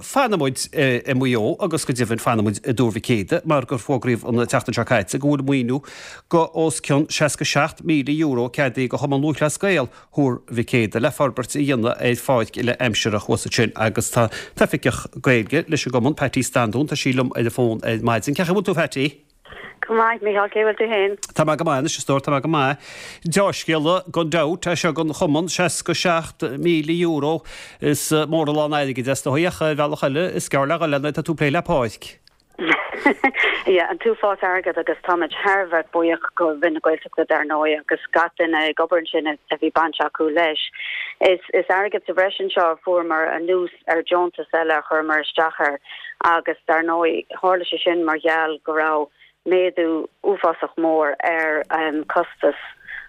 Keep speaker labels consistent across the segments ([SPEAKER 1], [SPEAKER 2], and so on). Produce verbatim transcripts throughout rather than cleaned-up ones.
[SPEAKER 1] fanfaidh muid i Maigh Eo agus go deimhin fanfaidh muid i dTuar Mhic Éadaigh mar gur fógraíodh an tseachtain seo caite go bhfuil maoiniú go os cionn seasca seacht míle euro ceadaithe go Chumann Lúthchleas Gael Thuar Mhic Éadaigh le forbairt a dhéanamh ar pháirc uile aimsire thuas ansin agus tá Oifigeach Gaeilge leis an gcumann, Patty Standún, tá sí liom ar an bhfón ar maidin. Cén chaoi a bhfuil tú a Phatty?
[SPEAKER 2] Go maith, Mícheál, cé bhfuil tú féin?
[SPEAKER 1] Tá mé go maith anois, a stór, tá mé go maith. Deá-scéala gan dabht é seo don chumann, seasca seacht míle euro, is mór an lán airgid é is dóigh, ach ar bhealach eile is gearr le dhul é nuair atá tú ag plé le páirc.
[SPEAKER 2] Yeah, an t-uafás airgead agus táimid thar a bheith buíoch go Roinn na Gaeltachta dar ndóigh agus gach duine ag obair ansin a bhí baint acu leis. Is is airgead sa bhreis anseo a fuaireamar anuas ar deontas eile a chuireamar isteach air agus dar ndóigh tharla sé sin mar gheall go raibh méadú uafásach mór ar costas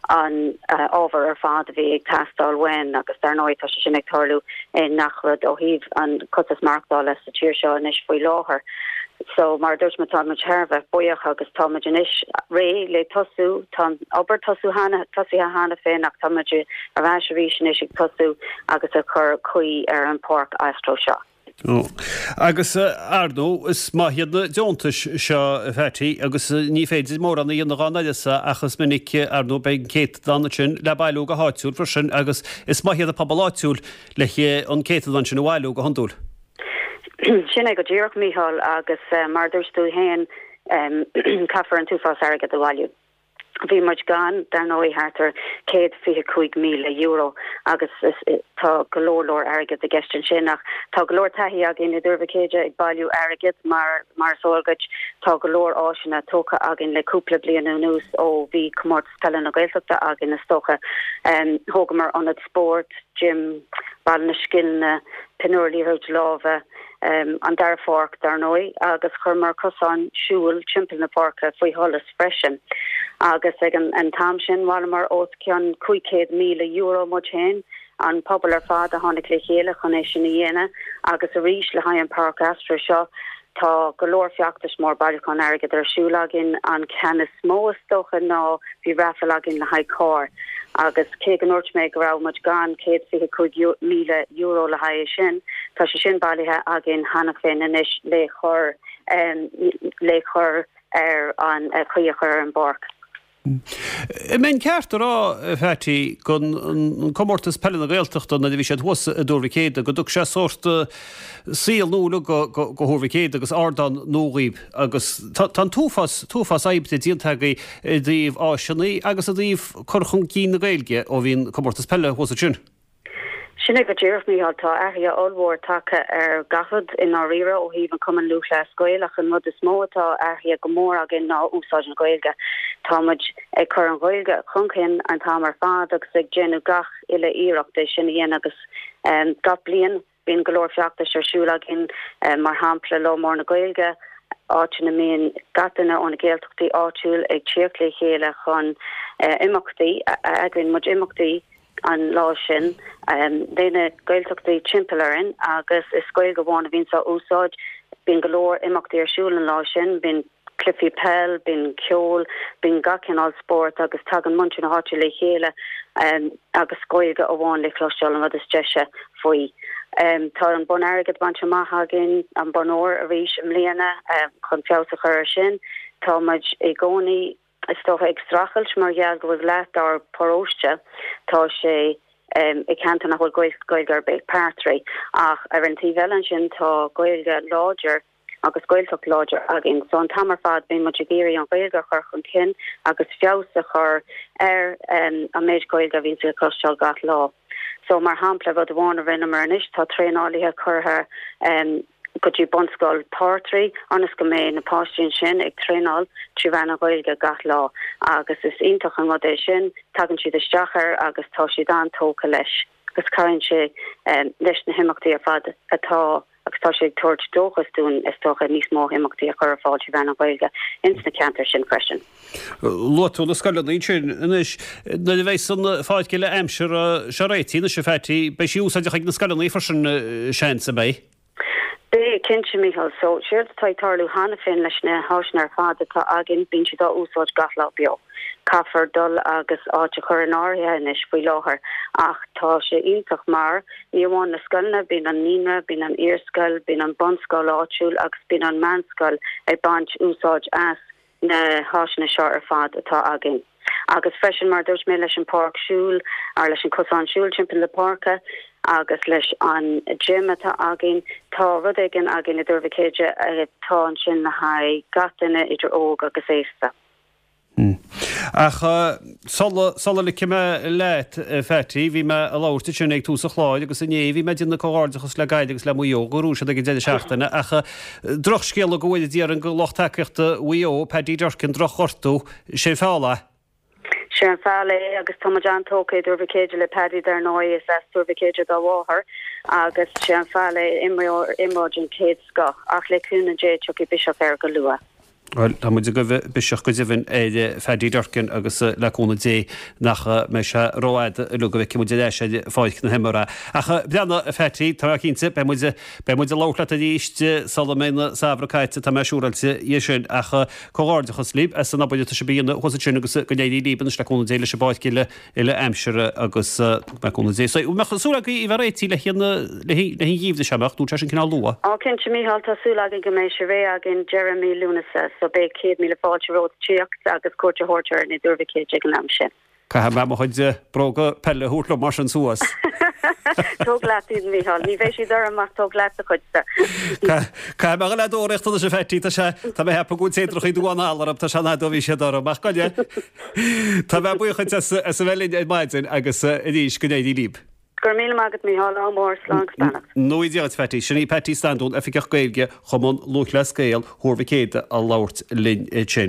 [SPEAKER 2] an ábhar ar fad a bhí ag teastáil uainn agus dar ndóigh tá sé sin ag tarlú i ngach rud ó thaobh an costas maireachtála sa tír seo anois faoi láthair. So mar a dúirt mé tá muid thar a bheith buíoch agus tá muid anois réidh le tosú, tá an obair tosú cheana, tosaithe cheana féin ach tá muid ar ais arís anois ag tosú agus ag cur caoi ar an pháirc astro seo.
[SPEAKER 1] Agus, ar ndóigh, is maith iad na deontais seo, a Phatty, agus ní féidir mórán a dhéanamh gan uireasa ach is minic, ar ndóigh, beidh an céatadán ansin le bailiú go háitiúil freisin agus is maith iad an pobal áitiúil le an céatadán sin a bhailiú go hiondúil.
[SPEAKER 2] Sin é go díreach, Mícheál, agus mar a dúirt tú féin, caithfear an t-uafás airgid a bhailiú. Bhí muid gann, dar ndóigh, thart ar céad fiche cúig míle euro agus tá go leor leor airgid i gceist ansin. Ach tá go leor taithí againn i dTuar Mhic Éadaigh ag bailiú airgid mar mar is eol duit tá go leor áiseanna tógtha againn le cúpla bliain anuas ó bhí Comórtas Peile na Gaeltachta againn is dócha. Thógamar ionad spóirt, gym, Baile na Scileanna, Pinniúr Liathróid Láimhe, an dara pháirc dar ndóigh, agus chuireamar cosán siúil timpeall na páirce faoi sholas freisin. Agus ag an t-am sin bhailíomar os cionn cúig chéad míle euro muid féin, an pobal ar fad a tháinig le chéile chun é sin a dhéanamh, agus arís le haghaidh an Páirc Astro seo tá go leor feachtais mór bailiúchán airgid ar siúl againn. An ceann is mó is dócha ná bhí raffle againn le haghaidh carr agus cé go ndúirt mé go raibh muid gann céad fiche cúig míle euro le haghaidh é sin, tá sé sin bailithe againn cheana féin anois le cur le cur ar an chaoi a chur ar an bpáirc.
[SPEAKER 1] An mbeinn ceart a rá, a Phatty, go an Comórtas Peile na Gaeltachta nuair a bhí siad thuas i dTuar Mhic Éadaigh, go dtug sé sórt saol nua go Thuar Mhic Éadaigh agus ardán nua dhaoib agus tá an t-uafás, t-uafás oibre déanta agaibh i dtaobh áiseanna agus i dtaobh cur chun cinn na Gaeilge ó bhí an Comórtas Peile thuas ansin.
[SPEAKER 2] Sin é go díreach, Mícheál. Tá athruithe ollmhór tagtha ar gach rud i ndáiríre ó thaobh an Cumann Lúthchleas Gael ach an rud is mó atá athraithe go mór againn ná úsáid na Gaeilge. Tá muid ag cur an Ghaeilge chun cinn an t-am ar fad agus ag déanamh gach uile iarracht é sin a dhéanamh agus gach bliain bíonn go leor feachtais ar siúl againn, mar shampla Lá Mór na Gaeilge, áit ina mbíonn gach duine ó na Gaeltachtaí áitiúil ag tíocht le chéile chun imeachtaí, eagraíonn muid imeachtaí an lá sin le na Gaeltachtaí timpeall orainn agus is Gaeilge amháin a bhíonns á úsáid. Bíonn go leor imeachtaí ar siúl an lá sin, bíonn cluichí peil, bíonn ceol, bíonn gach cineál spórt agus tagann muintir na háite le chéile agus Gaeilge amháin le cloisteáil, an rud is deise faoi. Tá an bonn airgid bainte amach againn, an bonn óir arís i mbliana chun feabhas a chur air sin. Tá muid i gcónaí is dócha, ag streachailt mar gheall go bhfuil leath dár bparóiste, tá sé i gceantar nach bhfuil Gaeilge ar bith, Peartraí, ach ar an taobh eile ansin tá Gaeilge láidir agus Gaeltacht láidir againn. So an t-am ar fad bíonn muid ag iarraidh an Ghaeilge a chur chun cinn agus feabhas a chur ar an méid Gaeilge a bhíonns le cloisteáil gach lá. So mar shampla rud amháin a rinneamar anois tá traenálaithe curtha go dtí Bunscoil Phartraí ionas go mbeidh na páistí ansin ag traenáil trí mheán na Gaeilge gach lá agus is iontach an rud é sin, tagann siad isteach air agus tá siad an-tógtha leis agus cabhraíonn sé leis na himeachtaí ar fad atá agus tá sé ag tabhairt dóchas dúinn is dócha níos mó imeachtaí a chur ar fáil trí mheán na Gaeilge ins na ceantair sin freisin.
[SPEAKER 1] Luaigh tú na scoileanna ansin anois. Nuair a bheas an pháirc uile aimsire seo réitithe anois a Phatty, beidh sí úsáideach ag na scoileanna freisin seans, an mbeidh?
[SPEAKER 2] Beidh, cinnte, Mícheál. So, séard atá ag tarlú cheana féin leis na háiseanna ar fad atá againn, bíonn siad á úsáid gach lá beo. Caithfear dul agus áit a chur in áirithe anois faoi láthair ach tá sé iontach mar ní amháin na scoileanna, bíonn an naíonra, bíonn an iarscoil, bíonn an bunscoil áitiúil agus bíonn an meánscoil ag baint úsáid as na háiseanna seo ar fad atá againn. Agus freisin mar dúirt mé leis an páirc siúil ar leis an cosán siúil timpeall na páirce agus leis an gym atá againn, tá rud éigin againn i dTuar Mhic Éide atá ansin le haghaidh gach duine idir óg agus aosta.
[SPEAKER 1] Ach sula sula ligfidh mé leat, a Phatty, bhí mé ag labhairt ansin ag tús an chláir agus inné bhí mé ag déanamh comhghairdeachas le Gaillimh agus le Maigh Eo go raibh siad ag an deireadh seachtaine ach drochscéala go bhfóire Dia orainn do lucht tacaíochta Mhaigh Eo, Paddy Durcan, drochghortú, sé an feall é.
[SPEAKER 2] Sé an feall é agus tá muid an-tógtha i dTuar Mhic Éide le Paddy dar ndóigh, is as Tuar Mhic Éide dá mháthair agus sé an feall é, imreoir imreoir den chéad scoth ach le cúnamh Dé tiocfaidh biseach air go luath.
[SPEAKER 1] Bhuel, tá muid ag guí biseach go deimhin ar Phaddy Durcan agus le cúnamh Dé nach mbeidh sé rófhada uilig go bhfeicfidh muid ar ais ar pháirc na himeartha. Ach breathnaigh, a Phatty, tá mé cinnte, beidh muid, beidh muid ag labhairt leat arís sula mbeidh an samhradh caite, tá mé siúráilte dhe sin. Ach comhghairdeachas libh as an obair atá sibh a dhéanamh thuas ansin agus go n-éirí libh anois le cúnamh Dé leis an bpáirc uile uile aimsire agus le cúnamh Dé. So, mbeadh súil agaibh í bheith réitithe le haghaidh le haghaidh an gheimhridh seo, mbeadh? Nó tá sin cineál luath?
[SPEAKER 2] Á cinnte Mícheál, tá súil againn go mbeidh sé réidh againn deireadh mí Lúnasa, so beidh céad míle fáilte romhat tíocht agus cuairt a thabhairt orainn i dTuar Mhic Éide ag an am sin.
[SPEAKER 1] Caithfidh mé mo chuid bróga peile a thabhairt liom mar sin suas.
[SPEAKER 2] Tóg leat iad, Mícheál. Ní bheidh siad orm ach tóg leat do chuidse.
[SPEAKER 1] Caithfidh mé a dhul a dtóraíocht anois a Phatty, tá sé, tá mé ag ceapadh go bhfuil téadrachaí dubha anall orm, tá sé an fhad ó bhí siad orm, ach gabh i leith. Tá mé buíoch duit as a bheith linn ar maidin agus arís go n-éirí libh.
[SPEAKER 2] Go raibh míle maith agat Mícheál, ádh mór, slán agus beannacht.
[SPEAKER 1] Go ngnóthaí Dia duit Phatty. Sin í Patty Standún, Oifigeach Gaeilge Chumann Lúthchleas Gael Thuar Mhic Éadaigh a labhairt linn ansin.